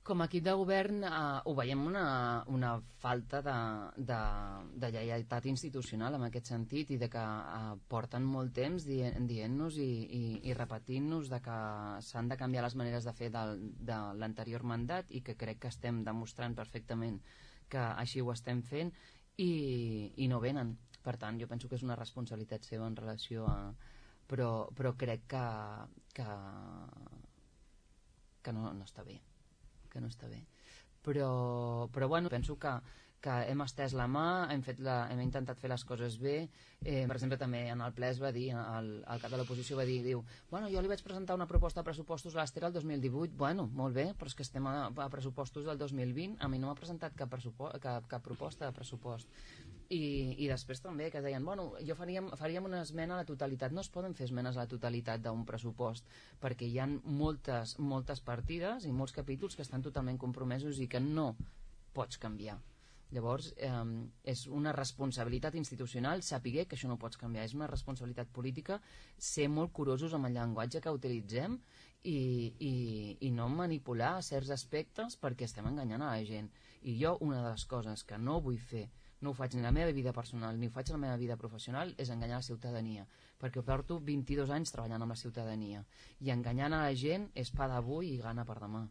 Com a equip de govern ho veiem una falta de lleialtat institucional en aquest sentit, i de que porten molt temps dient-nos i repetint-nos de que s'han de canviar les maneres de fer de l'anterior mandat, i que crec que estem demostrant perfectament que així ho estem fent, i no venen. Per tant, jo penso que és una responsabilitat seva en relació a... però crec que no està bé, però bueno, penso que hem estès la mà, hem intentat fer les coses bé. Per exemple, també en el ple es va dir, el cap de l'oposició va dir, bueno, jo li vaig presentar una proposta de pressupostos a l'Ester el 2018, bueno, molt bé, però és que estem a pressupostos del 2020, a mi no m'ha presentat cap proposta de pressupost. I després també que deien, bueno, faríem una esmena a la totalitat. No es poden fer esmenes a la totalitat d'un pressupost, perquè hi ha moltes partides i molts capítols que estan totalment compromesos i que no pots canviar. Llavors és una responsabilitat institucional saber que això no pots canviar, és una responsabilitat política ser molt curosos amb el llenguatge que utilitzem i no manipular certs aspectes perquè estem enganyant a la gent. I jo una de les coses que no vull fer, no ho faig ni a la meva vida personal ni ho faig a la meva vida professional, és enganyar la ciutadania, perquè porto 22 anys treballant amb la ciutadania, i enganyant a la gent és pa d'avui i gana per demà.